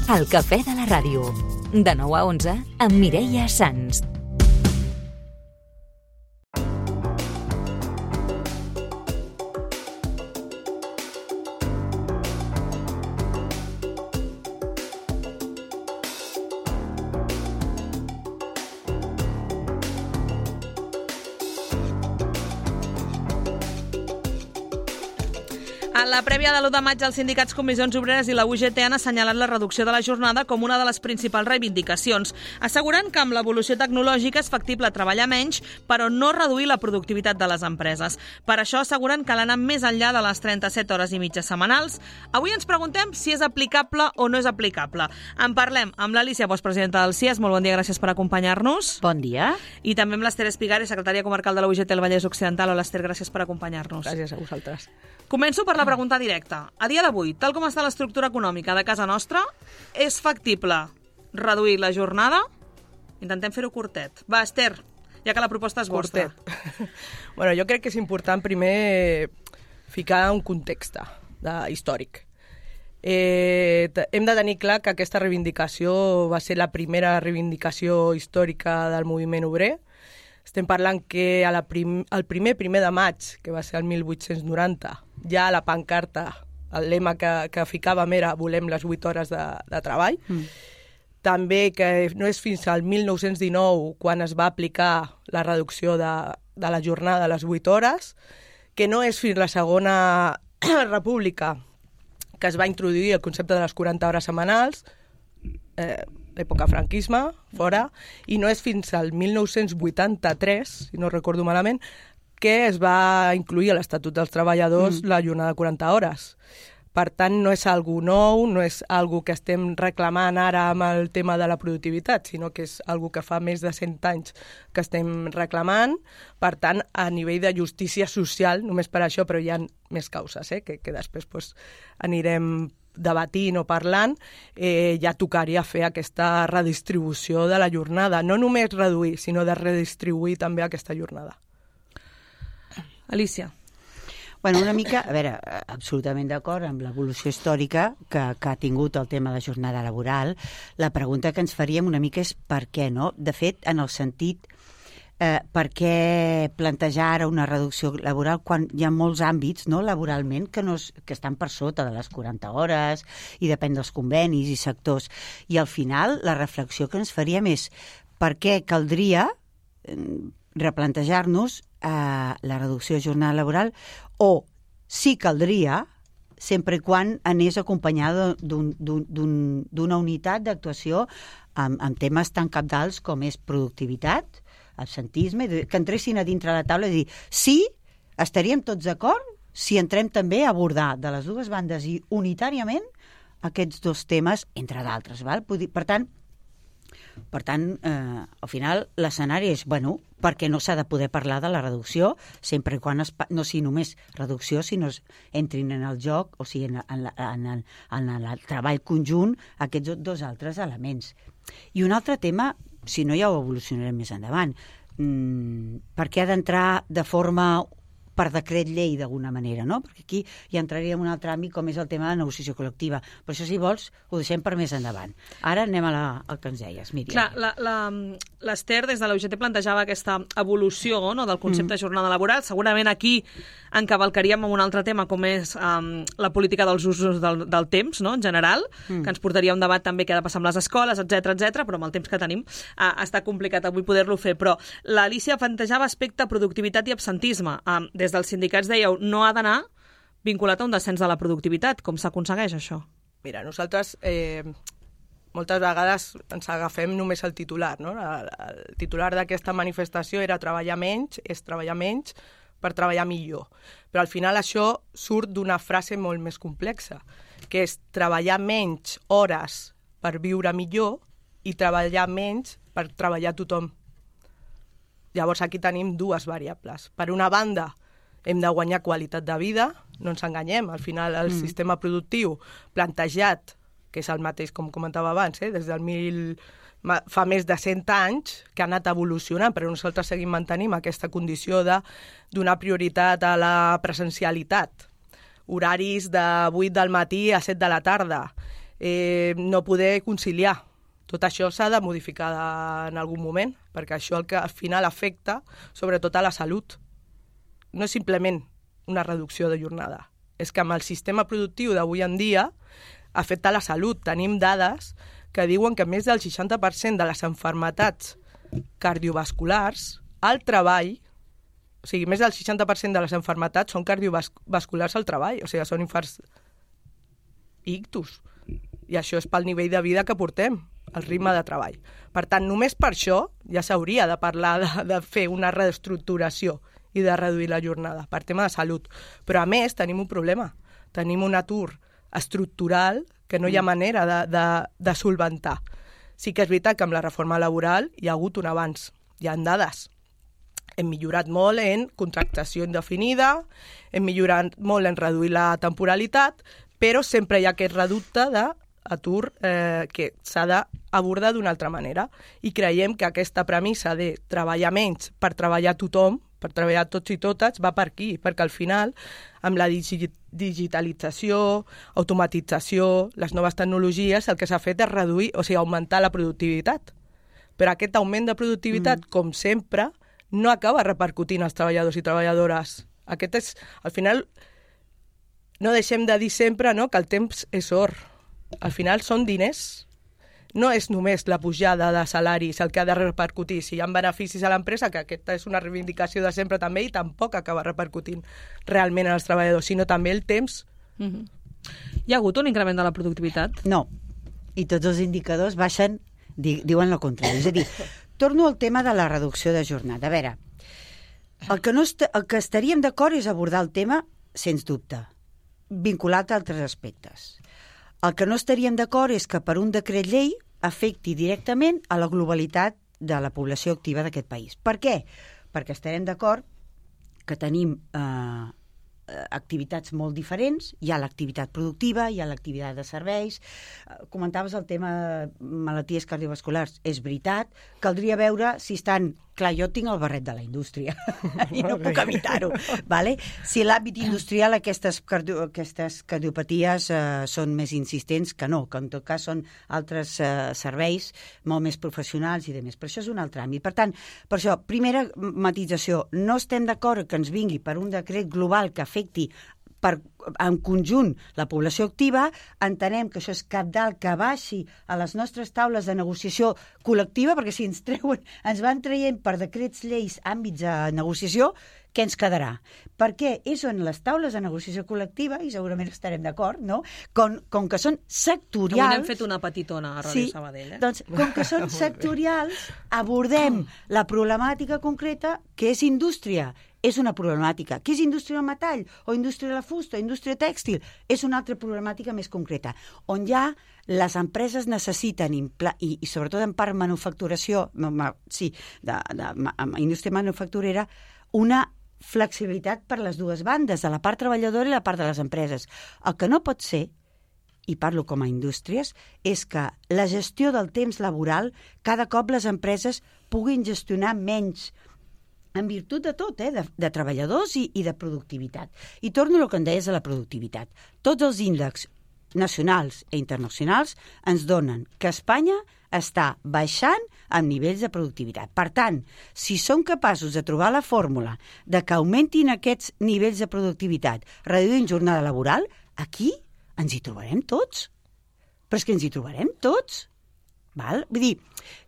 El cafè de la ràdio. De 9 a 11 amb Mireia Sans. A la prèvia de l'1 de maig, els sindicats Comissions Obreres i la UGT han assenyalat la reducció de la jornada com una de les principals reivindicacions, assegurant que amb l'evolució tecnològica és factible treballar menys, però no reduir la productivitat de les empreses. Per això asseguren que l'anar més enllà de les 37 hores i mitja setmanals. Avui ens preguntem si és aplicable o no és aplicable. En parlem amb l'Alícia Bosch, presidenta del CIES. Molt bon dia, gràcies per acompanyar-nos. Bon dia. I també amb l'Ester Espigari, secretària comarcal de la UGT del Vallès Occidental. Hola, Ester, gràcies per acompanyar-nos. Gràcies a vosaltres. Començo per la pregunta directa. A dia d'avui, tal com està l'estructura econòmica de casa nostra, és factible reduir la jornada? Intentem fer-ho curtet. Va, Ester, ja que la proposta és vostra. Bueno, jo crec que és important primer ficar un context històric. Hem de tenir clar que aquesta reivindicació va ser la primera reivindicació històrica del moviment obrer. Estem parlant que el primer de maig, que va ser el 1890, ja a la pancarta, el lema que ficàvem era volem les 8 hores de treball. També que no és fins al 1919 quan es va aplicar la reducció de la jornada a les 8 hores, que no és fins la Segona República que es va introduir el concepte de les 40 hores setmanals, l'època franquisme, fora, i no és fins al 1983, si no recordo malament, que es va incluir a l'Estatut dels Treballadors la jornada de 40 hores. Per tant, no és algo nou, no és algo que estem reclamant ara amb el tema de la productivitat, sinó que és algo que fa més de 100 anys que estem reclamant. Per tant, a nivell de justícia social, només per això, però hi ha més causes, que després anirem debatint o parlant, ja tocaria fer aquesta redistribució de la jornada. No només reduir, sinó de redistribuir també aquesta jornada. Alícia. Bueno, una mica, a veure, absolutament d'acord amb l'evolució històrica que ha tingut el tema de jornada laboral. La pregunta que ens faríem una mica és per què, no? De fet, en el sentit, per què plantejar ara una reducció laboral quan hi ha molts àmbits, no, laboralment, que estan per sota de les 40 hores i depèn dels convenis i sectors. I al final, la reflexió que ens faríem és per què caldria replantejar-nos la reducció de jornada laboral o sí caldria sempre i quan anés acompanyada d'una unitat d'actuació amb temes tan cabdals com és productivitat, absentisme, que entressin a dintre la taula i dir sí, estaríem tots d'acord si entrem també a abordar de les dues bandes i unitàriament aquests dos temes, entre d'altres. Per tant, al final, l'escenari és, bueno, perquè no s'ha de poder parlar de la reducció, sempre i quan no sigui només reducció, sinó entrin en el joc, o sigui, en el treball conjunt, aquests dos altres elements. I un altre tema, si no ja ho evolucionarem més endavant, per què ha d'entrar de forma per decret llei d'alguna manera, no? Perquè aquí ja entraríem en un altre àmbit com és el tema de la negociació col·lectiva. Per això, si vols, ho deixem per més endavant. Ara anem al que ens deies, Míriam. Clar, l'Ester des de la UGT plantejava aquesta evolució, no, del concepte de jornada laboral. Segurament aquí encavalcaríem amb un altre tema com és la política dels usos del temps, no, en general, que ens portaria un debat també què ha de passar amb les escoles, etc, però amb el temps que tenim està complicat avui poder-lo fer. Però l'Alícia plantejava aspecte productivitat i absentisme. Des dels sindicats dèieu, no ha d'anar vinculat a un descens de la productivitat. Com s'aconsegueix això? Mira, nosaltres moltes vegades ens agafem només el titular, no? El titular d'aquesta manifestació era treballar menys, és treballar menys per treballar millor. Però al final això surt d'una frase molt més complexa, que és treballar menys hores per viure millor i treballar menys per treballar tothom. Llavors aquí tenim dues variables. Per una banda, hem de guanyar qualitat de vida, no ens enganyem, al final el sistema productiu plantejat, que és el mateix com comentava abans, des del fa més de 100 anys que ha anat evolucionant, però nosaltres seguim mantenim aquesta condició de donar prioritat a la presencialitat. Horaris de 8 del matí a 7 de la tarda, no poder conciliar. Tot això s'ha de modificar en algun moment, perquè això el que al final afecta sobretot a la salut. No és simplement una reducció de jornada, és que amb el sistema productiu d'avui en dia afecta la salut. Tenim dades que diuen que més del 60% de les malalties cardiovasculars al treball, o sigui, més del 60% de les malalties són cardiovasculars al treball, o sigui, són infarts i ictus. I això és pel nivell de vida que portem, el ritme de treball. Per tant, només per això ja s'hauria de parlar de fer una reestructuració i de reduir la jornada, per tema de salut. Però, a més, tenim un problema. Tenim un atur estructural que no hi ha manera de solventar. Sí que és veritat que amb la reforma laboral hi ha hagut un avanç. Hi ha dades. Hem millorat molt en contractació indefinida, hem millorat molt en reduir la temporalitat, però sempre hi ha aquest reducte d'atur que s'ha d'abordar d'una altra manera. I creiem que aquesta premissa de treballar menys per treballar tothom, per treballar tots i totes, va per aquí, perquè al final, amb la digitalització, automatització, les noves tecnologies, el que s'ha fet és reduir, o sigui, augmentar la productivitat. Però aquest augment de productivitat, com sempre, no acaba repercutint als treballadors i treballadores. Aquest és, al final, no deixem de dir sempre, no?, que el temps és or. Al final són diners. No és només la pujada de salaris el que ha de repercutir. Si hi ha beneficis a l'empresa, que aquesta és una reivindicació de sempre també, i tampoc acaba repercutint realment en els treballadors, sinó també el temps. Hi ha hagut un increment de la productivitat? No. I tots els indicadors baixen, diuen el contrari. És a dir, torno al tema de la reducció de jornada. A veure, el que estaríem d'acord és abordar el tema, sens dubte, vinculat a altres aspectes. El que no estaríem d'acord és que per un decret llei afecti directament a la globalitat de la població activa d'aquest país. Per què? Perquè estarem d'acord que tenim activitats molt diferents. Hi ha l'activitat productiva, hi ha l'activitat de serveis. Comentaves el tema de malalties cardiovasculars. És veritat, caldria veure si estan... Clar, jo tinc el barret de la indústria i no puc evitar-ho. Vale? Si l'àmbit industrial aquestes cardiopaties són més insistents que no, que en tot cas són altres serveis molt més professionals i demés. Però això és un altre àmbit. Per tant, per això, primera matització, no estem d'acord que ens vingui per un decret global que afecti en conjunt la població activa. Entenem que això és cabdal que baixi a les nostres taules de negociació col·lectiva, perquè si ens van traient per decrets lleis àmbits de negociació, què ens quedarà? Perquè és on les taules de negociació col·lectiva, i segurament estarem d'acord, no? Com que són sectorials... Avui n'hem fet una petitona a Ràdio Sabadell. Doncs, com que són sectorials, abordem la problemàtica concreta que és indústria. És una problemàtica. Què és indústria del metall? O indústria de la fusta? O indústria tèxtil? És una altra problemàtica més concreta. On ja les empreses necessiten, i sobretot en part manufacturació, indústria manufacturera, una flexibilitat per les dues bandes, de la part treballadora i la part de les empreses. El que no pot ser, i parlo com a indústries, és que la gestió del temps laboral, cada cop les empreses puguin gestionar menys, en virtut de tot, de treballadors i de productivitat. I torno al que em deies de la productivitat. Tots els índexs nacionals i internacionals ens donen que Espanya està baixant amb nivells de productivitat. Per tant, si som capaços de trobar la fórmula de que augmentin aquests nivells de productivitat reduint jornada laboral, aquí ens hi trobarem tots. Però és que ens hi trobarem tots. Val? Vull dir,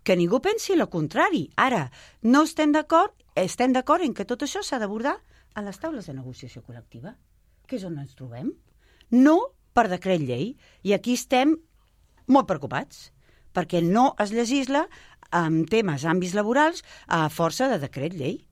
que ningú pensi el contrari. Ara, no estem d'acord en que tot això s'ha d'abordar a les taules de negociació col·lectiva, que és on ens trobem. No per decret llei. I aquí estem molt preocupats, perquè no es legisla en temes, àmbits laborals, a força de decret llei.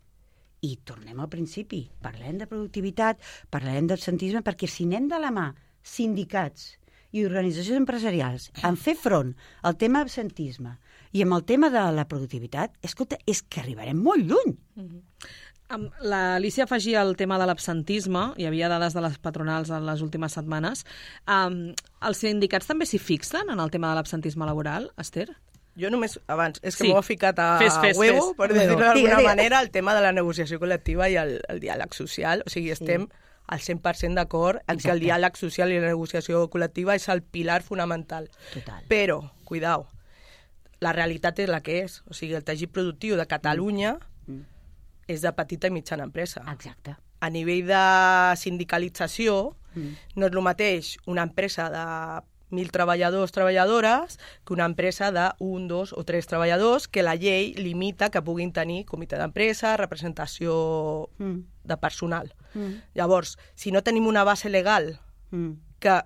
I tornem al principi. Parlem de productivitat, parlem d'absentisme, perquè si anem de la mà sindicats i organitzacions empresarials en fer front al tema absentisme i amb el tema de la productivitat, escolta, és que arribarem molt lluny. L'Alícia afegia el tema de l'absentisme, hi havia dades de les patronals en les últimes setmanes. Els sindicats també s'hi fixen en el tema de l'absentisme laboral, Esther? Jo només, abans, és que m'ho ha ficat a fes. per dir-ho d'alguna manera, el tema de la negociació col·lectiva i el diàleg social. O sigui, estem al 100% d'acord en que el diàleg social i la negociació col·lectiva és el pilar fonamental. Total. Però, cuidao, la realitat és la que és. O sigui, el teixit productiu de Catalunya és de petita i mitjana empresa. Exacte. A nivell de sindicalització, no és el mateix una empresa de 1.000 treballadors, treballadores, que una empresa de 1, 2 o 3 treballadors, que la llei limita que puguin tenir comitè d'empresa, representació de personal. Llavors, si no tenim una base legal que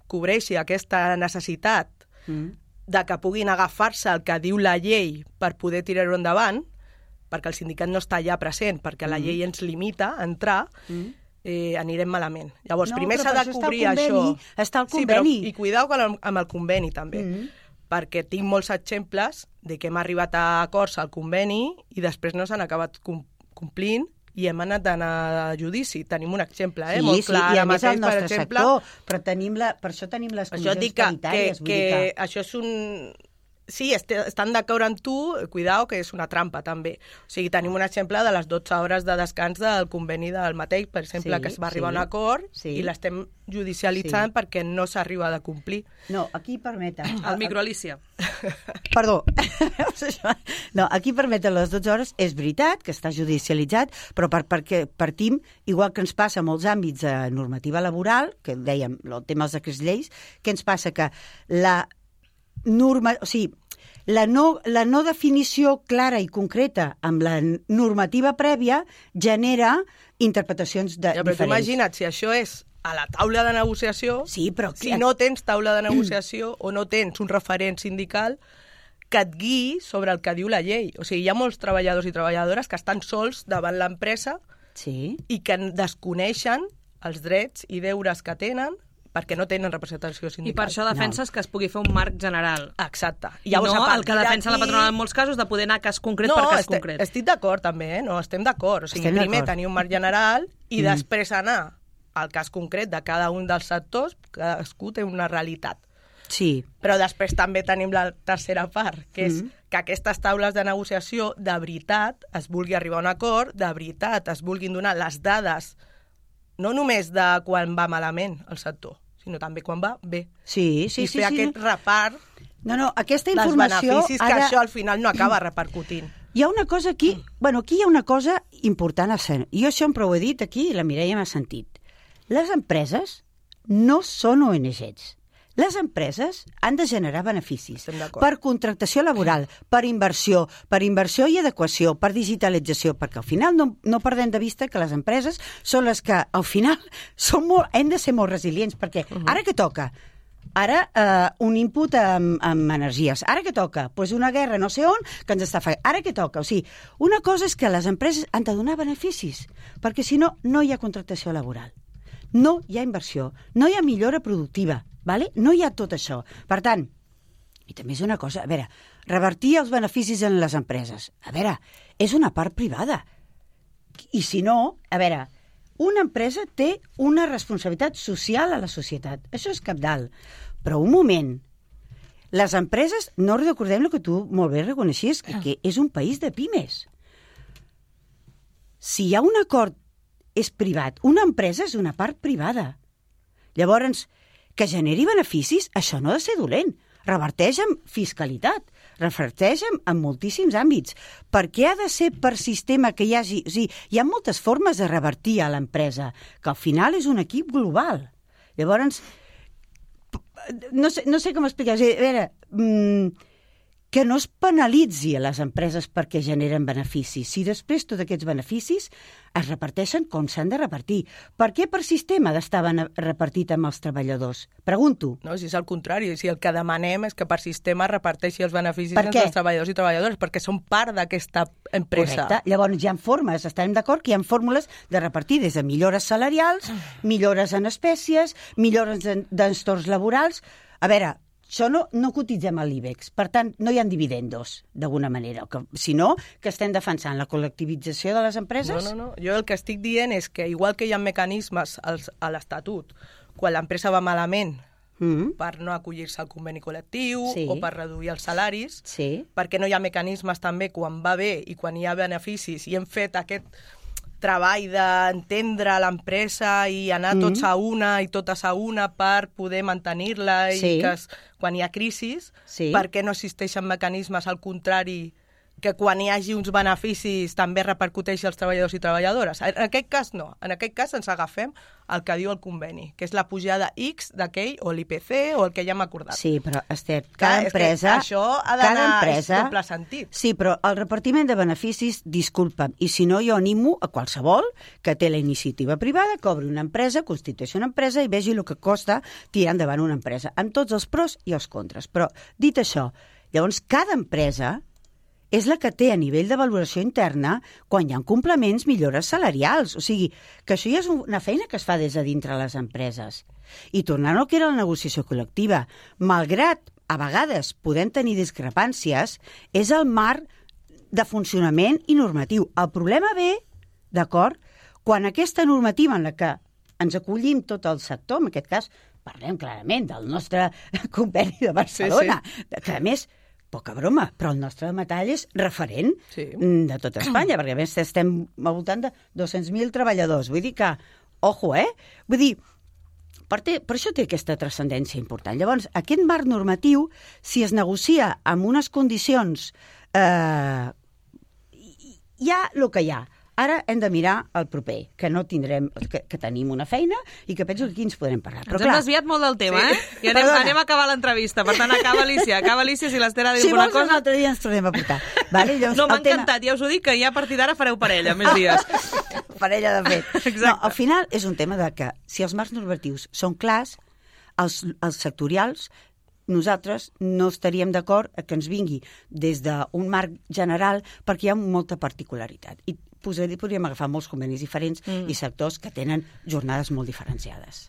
cobreixi aquesta necessitat de que puguin agafar-se el que diu la llei per poder tirar-ho endavant, perquè el sindicat no està allà present, perquè la llei ens limita a entrar, anirem malament. Llavors, primer s'ha de cobrir això. Està el conveni. Sí, i cuidao amb el conveni, també. Perquè tinc molts exemples de que hem arribat a acords al conveni i després no s'han acabat complint i hem anat d'anar a judici. Tenim un exemple, molt clar. I a més el nostre sector, però per això tenim les comissions paritàries. Que això és un... Sí, estan d'acord amb tu, cuidao, que és una trampa, també. O sigui, tenim un exemple de les 12 hores de descans del conveni del mateix, per exemple, que es va arribar a un acord i l'estem judicialitzant perquè no s'arriba a complir. No, aquí permeten... El micro, Alicia. Perdó. No, aquí permeten les 12 hores. És veritat que està judicialitzat, però perquè partim, igual que ens passa a molts àmbits de normativa laboral, que dèiem, el tema dels decrets lleis, que ens passa que la no definició clara i concreta amb la normativa prèvia genera interpretacions diferents. Però imagina't, si això és a la taula de negociació, si no tens taula de negociació o no tens un referent sindical que et guiï sobre el que diu la llei. O sigui, hi ha molts treballadors i treballadores que estan sols davant l'empresa i que desconeixen els drets i deures que tenen perquè no tenen representació sindical. I per això defenses que es pugui fer un marc general. Exacte. I no el que defensa la patronal en molts casos de poder anar a cas concret per cas concret. No, estic d'acord també, no, estem d'acord. O sigui, primer tenir un marc general i després anar al cas concret de cada un dels sectors, cadascú té una realitat. Sí. Però després també tenim la tercera part, que és que aquestes taules de negociació de veritat es vulgui arribar a un acord, de veritat es vulguin donar les dades, no només de quan va malament el sector, sinó també quan va bé. Sí. I fer aquest repart aquesta informació dels beneficis que això al final no acaba repercutint. Hi ha una cosa aquí, aquí hi ha una cosa important a ser. Jo això sempre ho he dit aquí i la Mireia m'ha sentit. Les empreses no són ONGs. Les empreses han de generar beneficis per contractació laboral, per inversió i adequació, per digitalització, perquè al final no perdem de vista que les empreses són les que al final hem de ser molt resilients, perquè ara què toca? Ara un input amb energies. Ara què toca? Doncs una guerra no sé on que ens està fent. Ara què toca? O sigui, una cosa és que les empreses han de donar beneficis, perquè si no, no hi ha contractació laboral. No hi ha inversió, no hi ha millora productiva, vale? No hi ha tot això. Per tant, i també és una cosa, a veure, revertir els beneficis en les empreses, a veure, és una part privada. I si no, a veure, una empresa té una responsabilitat social a la societat, això és cabdal. Però un moment, les empreses, no recordem el que tu molt bé reconeixies, que és un país de pimes. Si hi ha un acord és privat. Una empresa és una part privada. Llavors, que generi beneficis, això no ha de ser dolent. Reverteix en fiscalitat, reverteix en moltíssims àmbits. Per què ha de ser per sistema que hi hagi... O sigui, hi ha moltes formes de revertir a l'empresa, que al final és un equip global. Llavors, no sé com explicar. A veure, que no es penalitzi a les empreses perquè generen beneficis. Si després tots aquests beneficis es reparteixen com s'han de repartir. Per què per sistema estaven repartit amb els treballadors? Pregunto. No, si és al contrari. Si el que demanem és que per sistema reparteixi els beneficis entre els treballadors i treballadores, perquè són part d'aquesta empresa. Correcte. Llavors hi ha formes, estarem d'acord que hi ha fórmules de repartir des de millores salarials, millores en espècies, millores d'entorns laborals. A veure, això no cotitzem a l'IBEX, per tant, no hi ha dividendos, d'alguna manera, sinó que estem defensant la col·lectivització de les empreses. No. Jo el que estic dient és que, igual que hi ha mecanismes a l'Estatut, quan l'empresa va malament per no acollir-se al conveni col·lectiu o per reduir els salaris, perquè no hi ha mecanismes també quan va bé i quan hi ha beneficis, i hem fet aquest treball d'entendre l'empresa i anar tots a una i totes a una per poder mantenir-la i que quan hi ha crisis, perquè no existeixen mecanismes al contrari que quan hi hagi uns beneficis també repercuteixi als treballadors i treballadores. En aquest cas no. En aquest cas ens agafem el que diu el conveni, que és la pujada X d'aquell, o l'IPC, o el que ja hem acordat. Sí, però, Esther, cada empresa... Això ha d'anar en doble sentit. Sí, però el repartiment de beneficis, disculpa'm, i si no jo animo a qualsevol que té la iniciativa privada, que obri una empresa, constitueixi una empresa i vegi el que costa tirar endavant una empresa, amb tots els pros i els contres. Però, dit això, llavors cada empresa és la que té a nivell de valoració interna quan hi ha complements, millores salarials. O sigui, que això ja és una feina que es fa des de dintre les empreses. I tornant al que era la negociació col·lectiva, malgrat a vegades podem tenir discrepàncies, és el marc de funcionament i normatiu. El problema ve, d'acord, quan aquesta normativa en la que ens acollim tot el sector, en aquest cas parlem clarament del nostre conveni de Barcelona, que a més... Poca broma, però el nostre metall és referent de tot Espanya, perquè a més estem al voltant de 200.000 treballadors. Vull dir que, ojo, Vull dir, per això té aquesta transcendència important. Llavors, aquest marc normatiu, si es negocia amb unes condicions, hi ha el que hi ha. Ara hem de mirar el proper, que no tindrem, que tenim una feina i que penso que aquí ens podrem parlar. Ens hem desviat molt del tema, I anem a acabar l'entrevista. Per tant, acaba Alicia, si l'Esther ha dit alguna cosa... Si vols, un altre dia ens tornem a portar. Vale? Llavors, no, m'ha encantat, ja us ho dic, que ja a partir d'ara fareu parella, més dies. Parella, de fet. No, al final és un tema de que si els marcs normatius són clars, els sectorials, nosaltres no estaríem d'acord que ens vingui des d'un marc general perquè hi ha molta particularitat. I podríem agafar molts convenis diferents i sectors que tenen jornades molt diferenciades.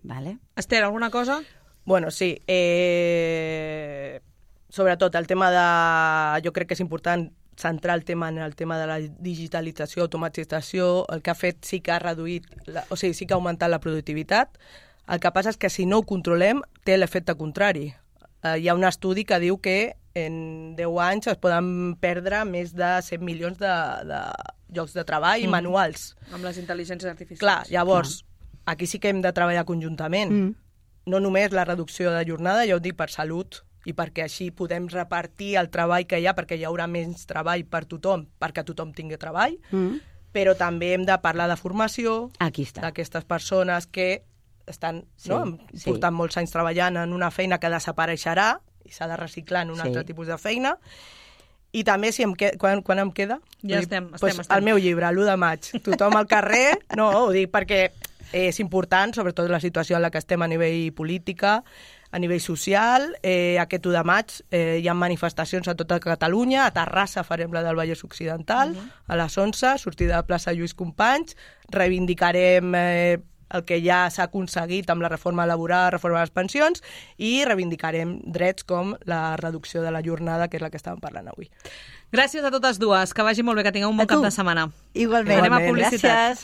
Vale? Esther, alguna cosa? Bueno, sí. Sobretot el tema de... Jo crec que és important centrar el tema en el tema de la digitalització, automatització. El que ha fet sí que ha reduït, sí que ha augmentat la productivitat. El que passa és que si no ho controlem té l'efecte contrari. Hi ha un estudi que diu que en 10 anys es poden perdre més de 100 milions de llocs de treball manuals. Amb les intel·ligències artificials. Clar, llavors, aquí sí que hem de treballar conjuntament. No només la reducció de jornada, ja ho dic per salut, i perquè així podem repartir el treball que hi ha, perquè hi haurà menys treball per tothom, perquè tothom tingui treball, però també hem de parlar de formació d'aquestes persones que estan portant molts anys treballant en una feina que desapareixerà i s'ha de reciclar en un altre tipus de feina. I també, quan em queda? Ja estem. El meu llibre, l'1 de maig. Tothom al carrer, ho dic perquè és important, sobretot la situació en la que estem a nivell política, a nivell social. Aquest 1 de maig hi ha manifestacions a tota Catalunya. A Terrassa farem la del Vallès Occidental, a les 11, sortida de plaça Lluís Companys. Reivindicarem el que ja s'ha aconseguit amb la reforma laboral, reforma de les pensions, i reivindicarem drets com la reducció de la jornada, que és la que estàvem parlant avui. Gràcies a totes dues, que vagi molt bé, que tingueu un bon cap de setmana. Igualment. Anem a publicitat. Gràcies.